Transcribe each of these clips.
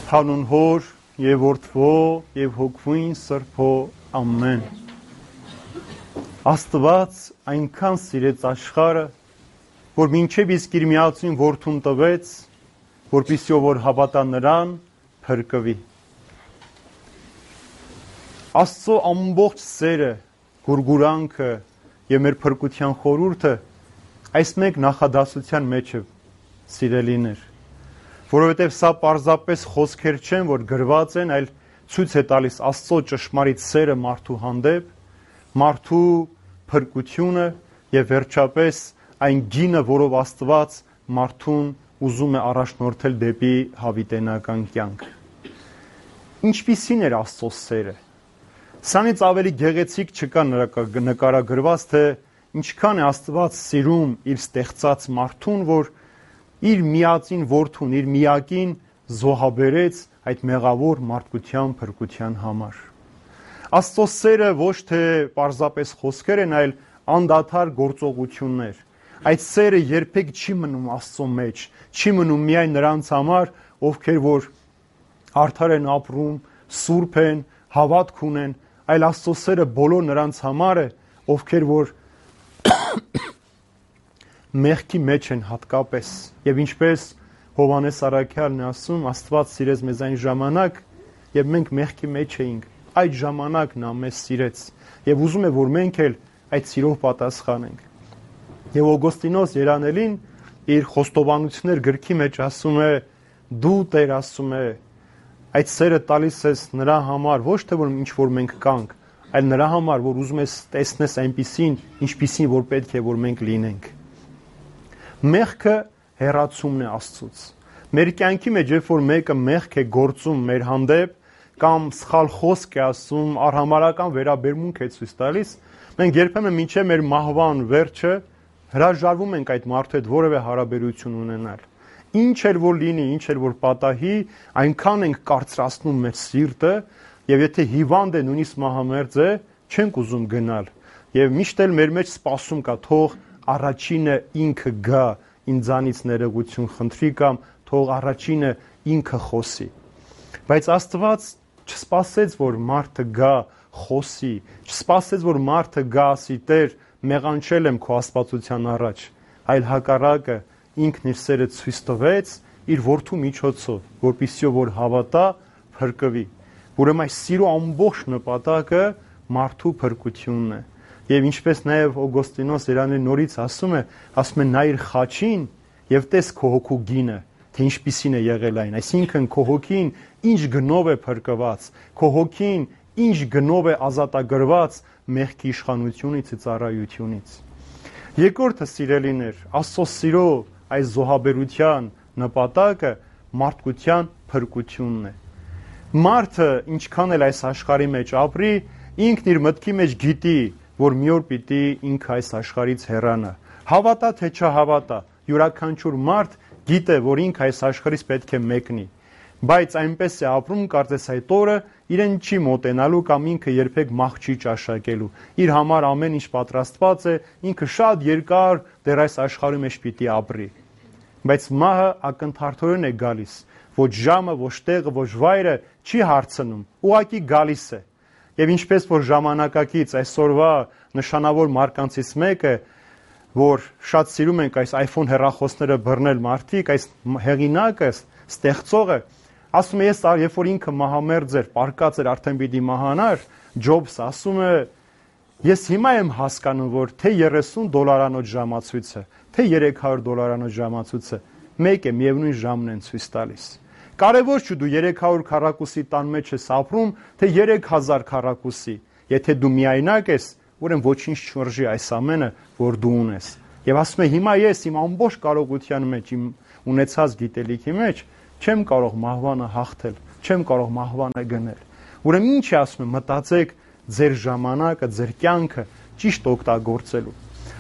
Հանուն Հոր եւ Որդվո եւ Հոգվույն Սրբո ամեն։ Աստված այնքան սիրեց աշխարհը, որ մինչև իսկ իր միածին որդուն տվեց, որպեսզի ով որ հավատա նրան փրկվի։ Աստծո ամբողջ սերը, գուրգուրանքը եւ մեր փրկության խորհուրդը այս մեկ նախադասության մեջ է, սիրելիներ, որովհետև սա պարզապես խոսքեր չեն, որ գրված են, այլ ցույց է տալիս Աստծո ճշմարիտ սերը մարդու հանդեպ, մարդու փրկությունը եւ վերջապես այն գինը, որով Աստված մարդուն ուզում է առաջնորդել դեպի հավիտենական կյանք։ Ինչպիսին էր Աստծո սերը։ Սրանից ավելի գեղեցիկ չկա նկարագրված, թե ինչքան է Աստված սիրում իր ստեղծած մարդուն, որ իր միածին որդուն, իր միակին զոհաբերեց այդ մեղավոր մարդկության փրկության համար։ Աստծո սերը ոչ թե պարզապես խոսքեր են, այլ անդադար գործողություններ։ Այդ սերը երբեք չի մնում Աստծո մեջ, չի մնում միայն նրանց համար, ովքեր որ արդար են ապրում, սուրբ են, հավատք ունեն, այլ Աստծո սերը բոլոր նրանց համար է, ովքեր որ մեղքի մեջ են հատկապես։ Եվ ինչպես Հովհաննես Առաքյալն է ասում, Աստված սիրեց մեզ այն ժամանակ, երբ մենք մեղքի մեջ էինք, այդ ժամանակ նա մեզ սիրեց եւ ուզում է, որ մենք էլ այդ սիրով պատասխանենք։ Եվ Օգոստինոս Երանելին իր խոստովանություններ գրքի մեջ ասում է. դու Տեր, ասում է, այդ սերը տալիս ես նրա համար, ոչ թե որ ինչ որ մենք կանք, այլ նրա համար, որ ուզում ես տեսնես այնպիսին, ինչպիսին որ պետք է որ մենք լինենք։ Մեղքը հեռացումն է Աստծուց։ Մեր կյանքի մեջ, երբ որ մեկը մեղք է գործում մեր հանդեպ կամ սխալ խոսք է ասում, արհամարհական վերաբերմունք է ցույց տալիս, մենք երբեմն մինչև մեր մահվան վերջը հրաժարվում ենք այդ մարդու հետ որևէ հարաբերություն ունենալ։ Ինչ էլ որ լինի, ինչ էլ որ պատահի, այնքան ենք կարծրացնում մեր սիրտը, եւ եթե հիվանդ է, նույնիսկ մահամերձ է, չենք ուզում գնալ։ Եվ միշտ էլ մեր մեջ սպասում կա, թող առաջինը ինքը գա, ինձանից ներողություն խնդրի կամ թող առաջինը ինքը խոսի։ Բայց Աստված չսպասեց, որ մարդը գա, խոսի, չսպասեց, որ մարդը գա, ասի. Տեր, մեղանչել եմ քո աստվածության առաջ, այլ հակառակը ինքն իր սերը ցույց տվեց իր որդու միջոցով, որպեսզի որ հավատա, փրկվի։ Ուրեմն այս սիրո ամբողջ նպատակը մարդու փրկությունն է։ Եվ ինչպես նաև Օգոստինոս Երանելին նորից ասում է նայիր խաչին եւ տես քո հոգու գինը, թե ինչպիսին է եղել այն, այսինքն քո հոգին ինչ գնով է փրկված, քո հոգին ինչ գնով է ազատագրված մեղքի իշխանությունից ու ծառայությունից։ Երկրորդը, սիրելիներ, Աստծո սիրո այս զոհաբերության նպատակը մարդկության փրկությունն է։ Մարդը ինչքան էլ այս աշխարհի մեջ ապրի, ինքն իր մտքի մեջ գիտի, որ մի օր պիտի ինքը այս աշխարհից հեռանա։ Հավատա թե չհավատա, յուրաքանչյուր մարդ գիտե, որ ինքը այս աշխարհից պետք է մեկնի, բայց այնպես է ապրում, կարծես այդ օրը իրեն չի մոտենալու կամ ինքը երբեք մահ չի ճաշակելու։ Իր համար ամեն ինչ պատրաստված է, ինքը շատ երկար դեռ այս աշխարհի մեջ պիտի ապրի։ Բայց մահը ակնթարթորեն է գալիս, ոչ ժամը, ոչ տեղը, ոչ վայրը չի հարցնում, ուղղակի գալիս է։ Եվ ինչպես որ ժամանակակից այսօրվա նշանավոր մարկանցից մեկը, որ շատ սիրում ենք այս iPhone հեռախոսները բռնել մարդիկ, այս հեղինակը, ստեղծողը, ասում է, ես երբ որ ինքը մահամերձ էր, պարկած էր, արդեն պիտի մահանար, Ջոբսը ասում է, ես հիմա եմ հասկանում, որ թե $30 ժամացույցը, թե $300 ժամացույցը մեկ է, միևնույն ժամն են ցույց տալիս։ Կարևոր չէ դու 300 քառակուսի տան մեջ ես ապրում, թե 3000 քառակուսի։ Եթե դու միայնակ ես, ուրեմն ոչինչ չորժի այս ամենը, որ դու ունես։ Եվ ասում է, հիմա ես իմ ամբողջ կարողության մեջ, իմ ունեցած գիտելիքի մեջ չեմ կարող մահվանը հաղթել, չեմ կարող մահվանը գնել։ Ուրեմն ինչ է ասում, մտածեք ձեր ժամանակը, ձեր կյանքը ճիշտ օգտագործելու։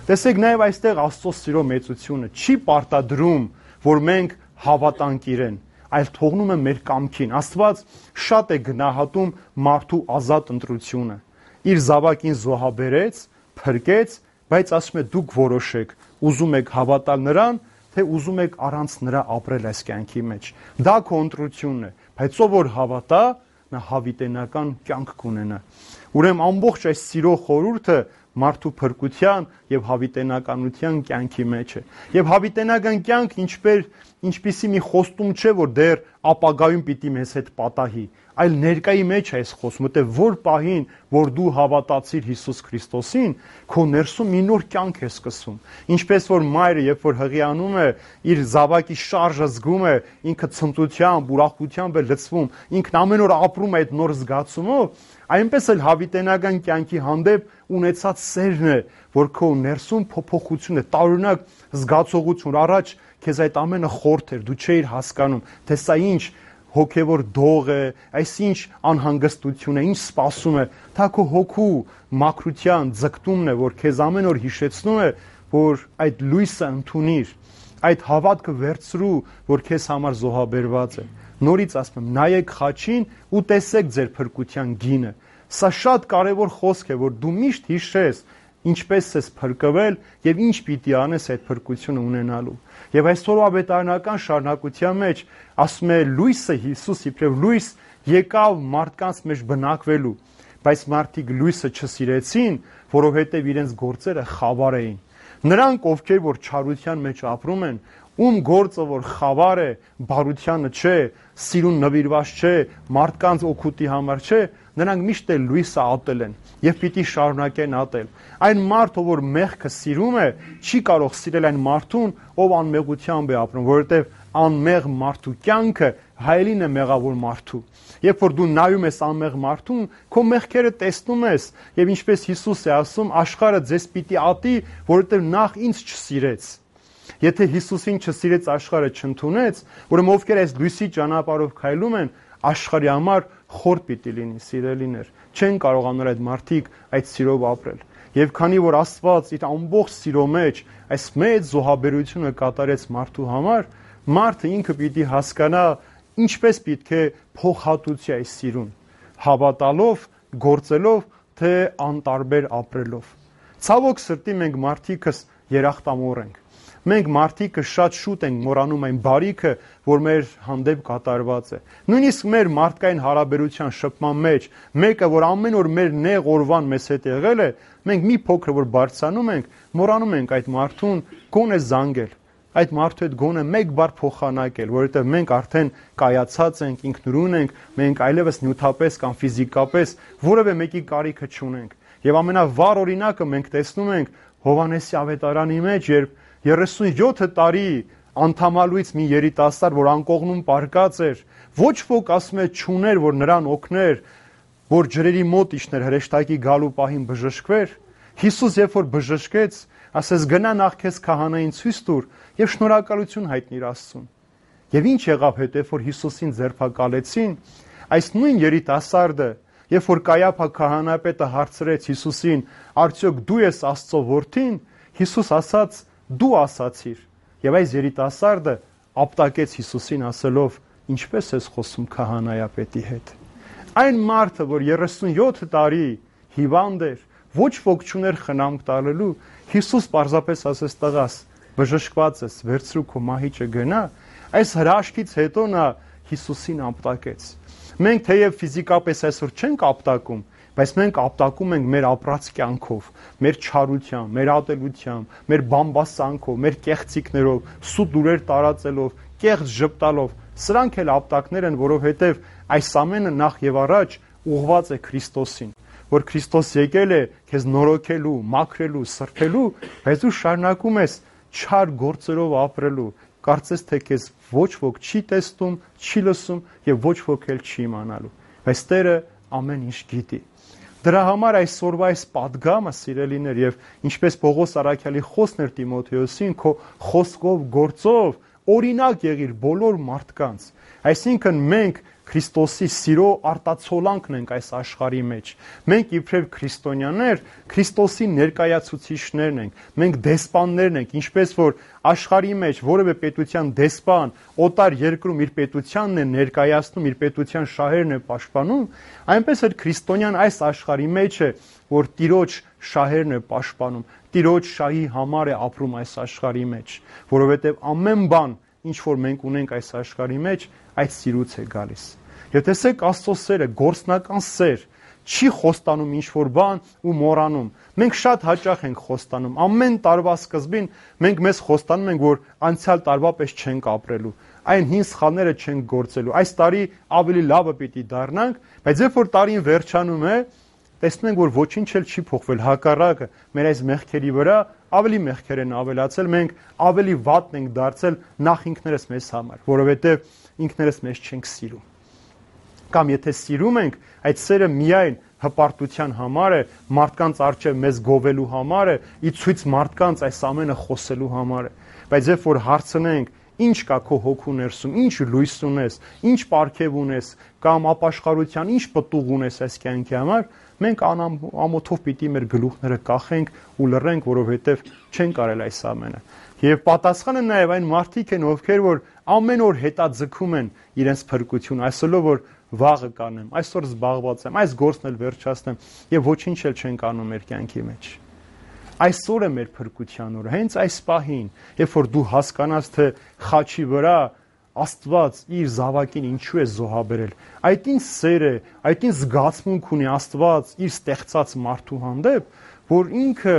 Տեսեք նաև այստեղ Աստծո սիրո մեծությունը չի պարտադրում, որ մենք հավատանք իրեն, այլ թողնում է մեր կամքին։ Աստված շատ է գնահատում մարդու ազատ ընտրությունը։ Իր զավակին զոհաբերեց, փրկեց, բայց ասում է դուք որոշեք, ուզում եք հավատալ նրան, թե ուզում եք առանց նրա ապրել այս կյանքի մեջ։ Դա քո ընտրությունն է, բայց ով որ հավատա, նա հավիտենական կյանք կունենա։ Ուրեմն ամբողջ այս սիրո խորհուրդը մարդու փրկության եւ հավիտենականության կյանքի մեջ է։ Եվ հավիտենական կյանք ինչպիսի մի խոստում չէ, որ դեռ ապագայում պիտի մեզ հետ պատահի, այլ ներկայի մեջ է այս խոստումը, որտեղ որ պահին, որ դու հավատացիր Հիսուս Քրիստոսին, քո ներսում մի նոր կյանք է սկսվում։ Ինչպես որ մայրը, երբ որ հղիանում է, իր զավակի շարժը զգում է, ինքը ցնծությամբ, ուրախությամբ է լցվում, ինքն ամեն օր ապրում է այդ նոր զգացումով, այնպես էլ հավիտենական կյանքի հանդեպ ունեցած սերն է, որ քո ներսում փոփոխություն է, տարօրինակ զգացողություն, առաջ քեզ այդ ամենը խորթ էր, դու չէիր հասկանում, թե սա ինչ հոգևոր դող է, այս ինչ անհանգստություն է, ինչ սպասում է, դա քո հոգու մաքրության ձգտումն է, որ քեզ ամեն օր հիշեցնում է, որ այդ լույսը ընդունիր, այդ հավատքը վերցրու, որ քեզ համար զոհաբերված է։ Նորից ասում եմ, նայեք խաչին ու տեսեք ձեր փրկության գինը։ Սա շատ կարևոր խոսք է, որ դու միշտ հիշես ինչպես ես փրկվել եւ ինչ պիտի անես այդ փրկությունը ունենալու։ Եվ այսօրվա ավետարանական շարունակության մեջ ասում է լույսը Հիսուս իբրև լույս եկավ մարդկանց մեջ բնակվելու, բայց մարդիկ լույսը չսիրեցին, որովհետեւ իրենց գործերը խավար էին։ Նրանք, ովքեր որ չարության մեջ ապրում են, ում գործը որ խավար է, բարությանը չէ, սիրուն նվիրված չէ, մարդկանց օգուտի համար չէ, նրանք միշտ էլ լույսը ատել են եւ պիտի շարունակեն ատել։ Այն մարդը, որ մեղքը սիրում է, չի կարող սիրել այն մարդուն, ով անմեղությամբ է ապրում, որովհետեւ անմեղ մարդու կյանքը հայելին է մեղավոր մարդու։ Երբ որ դու նայում ես անմեղ մարդուն, քո մեղքերը տեսնում ես, եւ ինչպես Հիսուս է ասում, աշխարհը ձեզ պիտի ատի, որովհետեւ նախ ինձ չսիրեց։ Եթե Հիսուսին չսիրեց, աշխարհը չընդունեց, ուրեմն ովքեր այս լույսի ճանապարհով քայլում են, աշխարհի համար խորտ պիտի լինի, սիրելիներ։ Չեն կարողանալ այդ մարդիկ այդ սիրով ապրել։ Եվ քանի որ Աստված իր ամբողջ սիրո մեջ այս մեծ զոհաբերությունը կատարեց մարդու համար, մարդը ինքը պիտի հասկանա ինչպես պետք է փոխհատուցի այս սիրուն, հավատալով, գործելով, թե անտարբեր ապրելով։ Ցավոք սրտի մենք մարդիկս երախտամոռ ենք։ Մենք մարդիկը շատ շուտ ենք մոռանում այն բարիքը, որ մեր հանդեպ կատարված է։ Նույնիսկ մեր մարդկային հարաբերության շփման մեջ, մեկը, որ ամեն օր մեր նեղ օրվան մեզ հետ եղել է, մենք մի փոքր որ բարձրանում ենք, մոռանում ենք այդ մարդուն գոնե զանգել, այդ մարդու հետ գոնե մեկ բառ փոխանակել, որովհետև մենք արդեն կայացած ենք, ինքնուրույն ենք, մենք այլևս նյութապես կամ ֆիզիկապես որևէ մեկի կարիքը չունենք։ Եվ ամենավառ օրինակը մենք տեսնում ենք Հովհաննեսի ավետարանի մեջ, երբ 37 տարի անդամալույց մի երիտասարդ, որ անկողնում պարկած էր, ոչ ոք ասում է չուներ, որ նրան օգներ, որ ջրերի մոտ իջներ հրեշտակի գալու պահին բժշկվեր։ Հիսուս երբ որ բժշկեց, ասես գնա նախ քեզ քահանային ցույց տուր եւ շնորհակալություն հայտնիր Աստծուն։ Եվ ինչ եղավ հետո, որ Հիսուսին ձերբակալեցին, այս նույն երիտասարդը, երբ որ Կայափա քահանապետը հարցրեց Հիսուսին, արդյոք դու ես Աստծո որդին, Հիսուս ասաց դու ասացիր, եւ այս երիտասարդը ապտակեց Հիսուսին ասելով, ինչպես ես խոսում քահանայապետի հետ։ Այն մարդը, որ 37 տարի հիվանդ էր, ոչ ոք չուներ խնամք տալելու, Հիսուս պարզապես ասեց տղաս, բժշկված ես, վերցրու քո մահիճը գնա, այս հրաշքից հետո նա Հիսուսին ապտակեց։ Մենք թեև ֆիզիկապես այսօր չենք ապտակում, բայց մենք ապտակում ենք մեր ապրած կյանքով, մեր չարությամբ, մեր ատելությամբ, մեր բամբասանքով, մեր կեղծիքներով, սուտ լուրեր տարածելով, կեղծ ժպտալով։ Սրանք էլ ապտակներ են, որովհետև այս ամենը նախ եւ առաջ ուղղված է Քրիստոսին, որ Քրիստոս եկել է քեզ նորոգելու, մաքրելու, սրբելու, բայց դու շարունակում ես չար գործերով ապրելու, կարծես թե քեզ ոչ ոք չի տեսնում, չի լսում եւ ոչ ոք էլ չի իմանալու։ Բայց Տերը ամեն ինչ գիտի։ Դրա համար այսօրվա այս պատգամը, սիրելիներ, եւ ինչպես Պողոս Արաքյալի խոսքն էր Տիմոթեոսին, քո խոսքով, գործով օրինակ եղիր բոլոր մարդկանց։ Այսինքն մենք Քրիստոսի սիրո արտացոլանքն ենք այս աշխարհի մեջ։ Մենք իբրև քրիստոնյաներ, Քրիստոսի ներկայացուցիչներն ենք։ Մենք դեսպաններն ենք, ինչպես որ աշխարհի մեջ որևէ պետության դեսպան օտար երկրում իր պետությանն է ներկայացնում, իր պետության շահերն է պաշտպանում, այնպես էլ քրիստոնյան այս աշխարհի մեջ է, որ Տիրոջ շահերն է պաշտպանում, Տիրոջ շահի համար է ապրում այս աշխարհի մեջ, որովհետև ամեն բան, ինչ որ մենք ունենք այս աշխարհի մեջ, այդ սիրուց է գալիս։ Եվ տեսեք Աստծո սերը, գործնական սեր, չի խոստանում ինչ-որ բան ու մոռանում։ Մենք շատ հաճախ ենք խոստանում։ Ամեն տարվա սկզբին մենք մեզ խոստանում ենք, որ անցյալ տարվա պես չենք ապրելու։ Այն հին սխալները չենք գործելու։ Այս տարի ավելի լավը պիտի դառնանք, բայց երբ որ տարին վերջանում է, տեսնում ենք, որ ոչինչ էլ չի փոխվել, հակառակը, մեր այս մեղքերի վրա ավելի մեղքեր են ավելացել, մենք ավելի վատն ենք դարձել նախ ինքներս մեզ համար, որովհետև ինքներս մեզ չենք սիրում։ Կամ եթե սիրում ենք, այդ սերը միայն հպարտության համար է, մարդկանց առջև մեզ գովելու համար է, ի ցույց մարդկանց այս ամենը խոսելու համար է։ Բայց երբ որ հարցնենք, ինչ կա քո հոգու ներսում, ինչ լույս ունես, ինչ պարգև ունես, կամ ապաշխարության ինչ պտուղ ունես այս կյանքի համար, մենք ամոթով պիտի մեր գլուխները կախենք ու լռենք, որովհետև չեն կարել այս ամենը։ Եվ պատասխանը նաև այն մարդիկ են, ովքեր որ ամեն օր հետաձգում են իրենց փրկությունը, այսօրով որ վաղը կանեմ, այսօր զբաղված եմ, այս գործն էլ վերջացնեմ եւ ոչինչ էլ չեն կանում մեր կյանքի մեջ։ Այսօր է մեր փրկության օրը, հենց այս պահին, երբ որ դու հասկանաս, թե խաչի վրա Աստված իր զավակին ինչու է զոհաբերել, այդ ինչ սեր է, այդ ինչ զգացմունք ունի Աստված իր ստեղծած մարդու հանդեպ, որ ինքը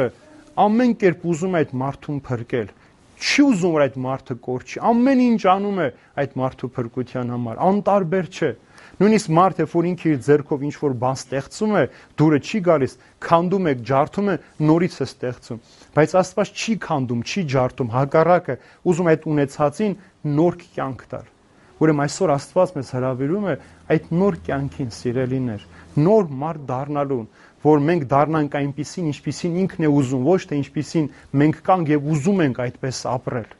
ամեն կերպ ուզում է այդ մարդուն փրկել, չի ուզում որ այդ մարդը կորչի, ամեն ինչ անում է այդ մարդու փրկության համար, անտարբեր չէ։ Նույնիսկ մարդ, երբ որ ինքը իր ձեռքով ինչ-որ բան ստեղծում է, դուրը չի գալիս, քանդում է, ջարդում է, նորից է ստեղծում։ Բայց Աստված չի քանդում, չի ջարդում, հակառակը, ուզում այդ ունեցածին նոր կյանք տալ։ Ուրեմն այսօր Աստված մեզ հրավիրում է այդ նոր կյանքին, սիրելիներ, նոր մարդ դառնալուն, որ մենք դառնանք այնպիսին, ինչպիսին ինքն է ուզում, ոչ թե ինչպիսին մենք կանք եւ ուզում ենք այդպես ապրել։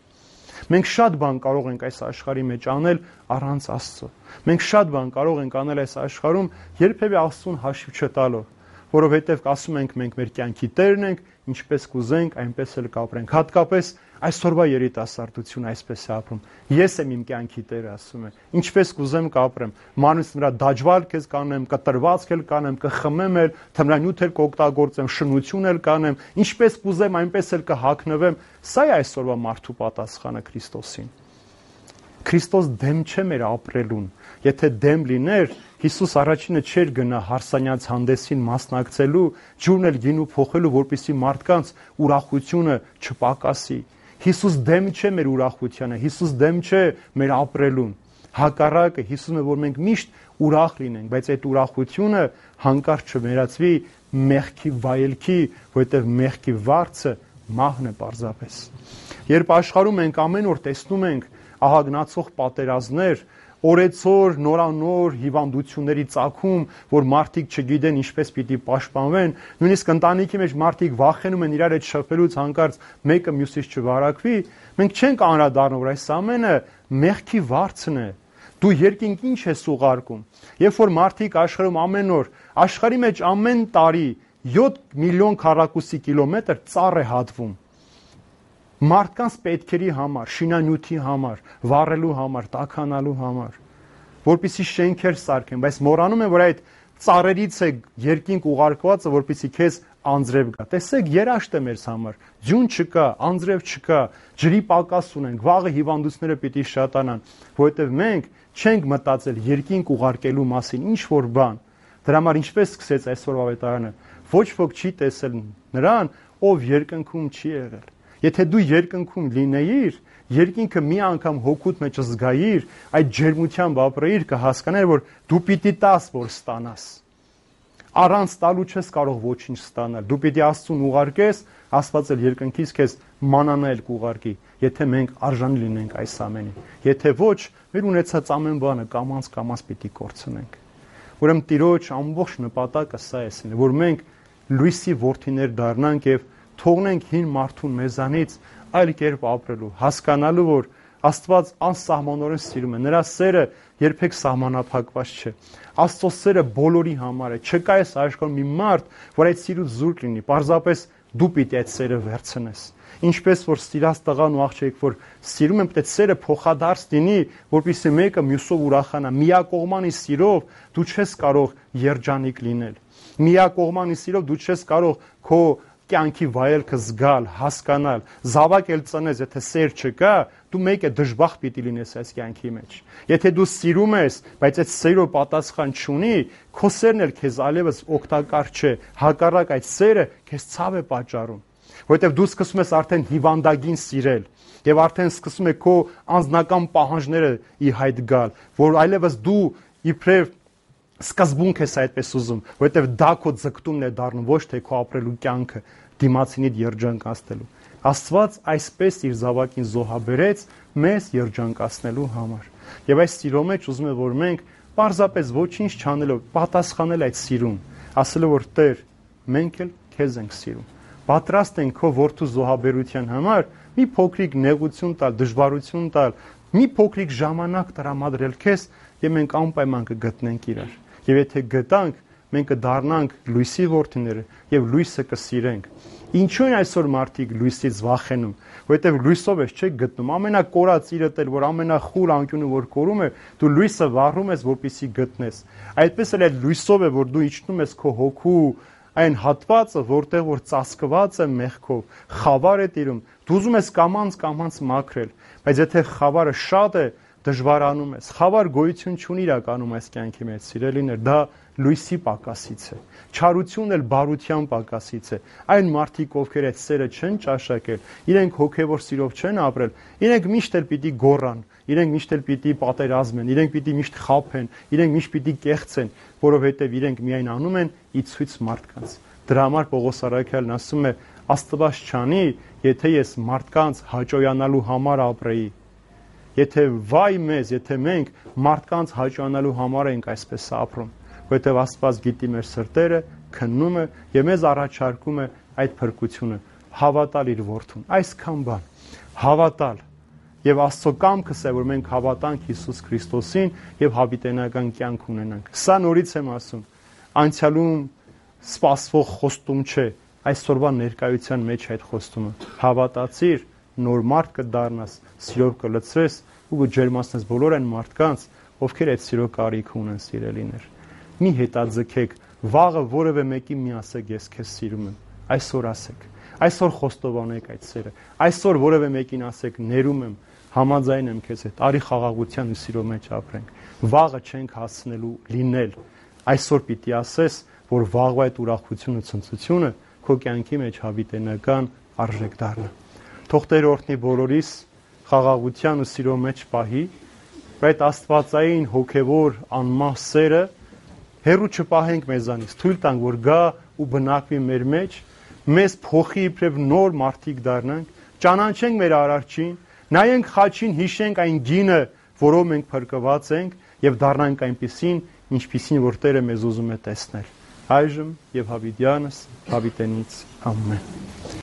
Մենք շատ բան կարող ենք այս աշխարհի մեջ անել առանց Աստծո։ Մենք շատ բան կարող ենք անել այս աշխարհում երբևէ Աստծուն հաշիվ չտալով, որովհետև ասում ենք մենք մեր կյանքի տերն ենք, ինչպես կուզենք, այնպես էլ կապրենք։ Հատկապես այսօրվա երիտասարդությունը այսպես է ապրում։ Ես եմ իմ կյանքի տերը, ասում է։ Ինչպես կուզեմ կապրեմ։ Մանուս նրա դաջվալք ես կանեմ, կտրվածք էլ կանեմ, կխմեմ էլ, թմրանյութ էլ կօգտագործեմ, շնություն էլ կանեմ, ինչպես կուզեմ, այնպես էլ կհագնվեմ։ Սա է այսօրվա մարդու պատասխանը Քրիստոսին։ Քրիստոս դեմ չէ մեր ապրելուն։ Եթե դեմ լիներ, Հիսուս առաջինը չէր գնա հարսանյաց հանդեսին մասնակցելու, ջուրն էլ գինու փոխելու, որպեսզի մարդկանց ուրախությունը չպակասի։ Հիսուս դեմ չէ մեր ուրախությանը, Հիսուս դեմ չէ մեր ապրելուն։ Հակառակը, Հիսուսն է, որ մենք միշտ ուրախ լինենք, բայց այդ ուրախությունը հանկարծ չվերածվի մեղքի վայելքի, որովհետև մեղքի վարձը մահն է պարզապես։ Երբ աշխարհում մենք ամեն օր տեսնում ենք ահագնացող պատերազմներ, օրեցօր նորանոր հիվանդությունների ծագում, որ մարդիկ չգիտեն ինչպես պիտի պաշտպանվեն, նույնիսկ ընտանիքի մեջ մարդիկ վախենում են իրար հետ շփվելուց հանկարծ մեկը մյուսից չվարակվի, մենք չենք անդրադառնում, որ այս ամենը մեղքի վարձն է։ Դու երկինք ինչ ես ուղարկում։ Երբ որ մարդիկ աշխարհում ամեն օր, աշխարհի մեջ ամեն տարի 7 միլիոն քառակուսի կիլոմետր ծառ է հատվում։ Մարդկանց պետքերի համար, շինանյութի համար, վառելու համար, տաքանալու համար, որպեսզի շենքեր սարքեն, բայց մոռանում են, որ այդ ծառերից է երկինք ուղարկվածը, որպեսզի քեզ անձրև գա։ Տեսեք, երաշտ է մեզ համար, ջուն չկա, անձրև չկա, ջրի պակաս ունենք, վաղը հիվանդությունները պիտի շատանան, որովհետև մենք չենք մտածել երկինք ուղարկելու մասին, ինչ որ բան։ Դրա համար ինչպես սկսեց այսօր ավետարանը, ոչ ոք չի տեսել նրան, ով երկնքում չի եղել։ Եթե դու երկնքում լինեիր, երկինքը մի անգամ հոգուտ մեջ զգայիր, այդ ջերմությամբ ապրեիր, կհասկանար, որ դու պիտի տաս, որ ստանաս։ Առանց տալու չես կարող ոչինչ ստանալ։ Դու պիտի Աստծուն ուղարկես, Աստված էլ երկնքից քեզ մանանա էլ կուղարկի, եթե մենք արժանի լինենք այս ամենին։ Եթե ոչ, մեր ունեցած ամեն բանը կամաց պիտի կորցնենք։ Ուրեմն Տիրոջ ամբողջ նպատակը սա է, որ մենք լույսի որդիներ դառնանք եւ թողնենք հին մարդուն մեզանից այլ կերպ ապրելու, հասկանալու, որ Աստված անսահմանորեն սիրում է, նրա սերը երբեք սահմանափակված չէ։ Աստծո սերը բոլորի համար է, չկա այս աշխարհում մի մարդ, որ այդ սիրուց զուրկ լինի, պարզապես դու պիտի այդ սերը վերցնես։ Ինչպես որ սիրած տղան ու աղջիկ, որ սիրում են, պետք է սերը փոխադարձ լինի, որպեսզի մեկը մյուսով ուրախանա։ Միակողմանի սիրով դու չես կարող երջանիկ լինել։ Միակողմանի սիրով դու չես կարող քո կյանքի վայելքը զգալ, հասկանալ, զավակ էլ ծնես, եթե սեր չկա, դու մեկ է դժբախտ պիտի լինես այս կյանքի մեջ։ Եթե դու սիրում ես, բայց այդ սերով պատասխան չունի, քո սերն էլ քեզ այլևս օգտակար չէ, հակառակ այդ սերը քեզ ցավ է պատճառում, որովհետև դու սկսում ես արդեն հիվանդագին սիրել եւ արդեն սկսում է քո անձնական պահանջները ի հայտ գալ, որ այլևս դու իբրև սկզբունք ես այդպես ուզում, որովհետև դա քո ձգտումն է դառնում, ոչ թե քո ապրելու կյանքը դիմացինիդ երջանկացնելու։ Աստված այսպես իր զավակին զոհաբերեց մեզ երջանկացնելու համար։ Եվ այս սիրո մեջ ուզում եմ, որ մենք պարզապես ոչինչ չանելով պատասխանել այդ սիրուն, ասելով որ Տեր, մենք էլ քեզ ենք սիրում։ Պատրաստ ենք քո որդու զոհաբերության համար մի փոքրիկ նեղություն տալ, դժվարություն տալ, մի փոքրիկ ժամանակ տրամադրել քեզ եւ մենք անպայման կգտնենք իրար։ Եվ եթե գտանք, մենք կդառնանք լույսի որդիները եւ լույսը կսիրենք։ Ինչու են այսօր մարդիկ լույսից վախենում, որովհետեւ լույսով ես չեք գտնում, ամենակորած իրդ էլ, որ ամենախուլ անկյունը որ կորում է, դու լույսը վառում ես, որպեսզի գտնես։ Այդպես էլ այդ լույսով է, որ դու իջնում ես քո հոգու այն հատվածը, որտեղ որ ծածկված է մեղքով, խավար է տիրում, դու ուզում ես կամած մաքրել, բայց եթե խավարը շատ է, դժվարանում ես, խավար գոյություն չունի իրականում այս կյանքի մեջ, սիրելիներ, դա լույսի պակասից է, չարությունն էլ բարության պակասից է, այն մարդիկ, ովքեր այդ սերը չեն ճաշակել, իրենք հոգևոր սիրով չեն ապրել, իրենք միշտ էլ պիտի գոռան, իրենք միշտ էլ պիտի պատերազմեն, իրենք պիտի միշտ խաբեն, իրենք միշտ պիտի կեղծեն, որովհետև իրենք միայն անում են ի ցույց մարդկանց։ Դրա համար Պողոս առաքյալն ասում է. Աստված չանի, եթե ես մարդկանց հաճոյանալու համար ապրեի։ Եթե վայ մեզ, եթե մենք մարդկանց հաճոյանալու համար ենք այսպես ապրում, որովհետև Աստված գիտի մեր սրտերը, քննում է եւ մեզ առաջարկում է այդ փրկությունը, հավատալ իր որդուն։ Այսքան բան, հավատալ եւ Աստծո կամքս է, որ մենք հավատանք Հիսուս Քրիստոսին եւ հավիտենական կյանք ունենանք։ Սա նորից եմ ասում, անցյալում սպասվող խոստում չէ, այսօրվա ներկայության մեջ այդ խոստումը։ Հավատացիր, նոր մարդ կդառնաս, սիրով կլցրես ու կջերմացնես բոլոր այն մարդկանց, ովքեր այդ սիրո կարիք ունեն, սիրելիներ։ Մի հետաձգեք, վաղը որևէ մեկին մի ասեք, ես քեզ սիրում եմ։ Այսօր ասեք, այսօր խոստովանեք այդ սերը, այսօր որևէ մեկին ասեք, ներում եմ, համաձայն եմ քեզ հետ, արի խաղաղության ու սիրո մեջ ապրենք։ Վաղը չենք հասնելու լինել։ Այսօր պիտի ասես, որ վաղվա այդ ուրախությունը, ցնծությունը քո կյանքի մեջ հավիտենական արժեք դառնա։ Թող Տեր օրհնի բոլորիս խաղաղության ու սիրո մեջ պահի, այդ աստվածային հոգևոր անմահ սերը հեռու չպահենք մեզանից, թույլ տանք, որ գա ու բնակվի մեր մեջ, մեզ փոխի իբրև նոր մարդիկ դառնանք, ճանաչենք մեր Արարչին, նայենք խաչին, հիշենք այն գինը, որով մենք փրկված ենք եւ դառնանք այնպիսին, ինչպիսին որ Տերը մեզ ուզում է տեսնել։ Այժմ եւ հավիտյանս հավիտենից ամեն։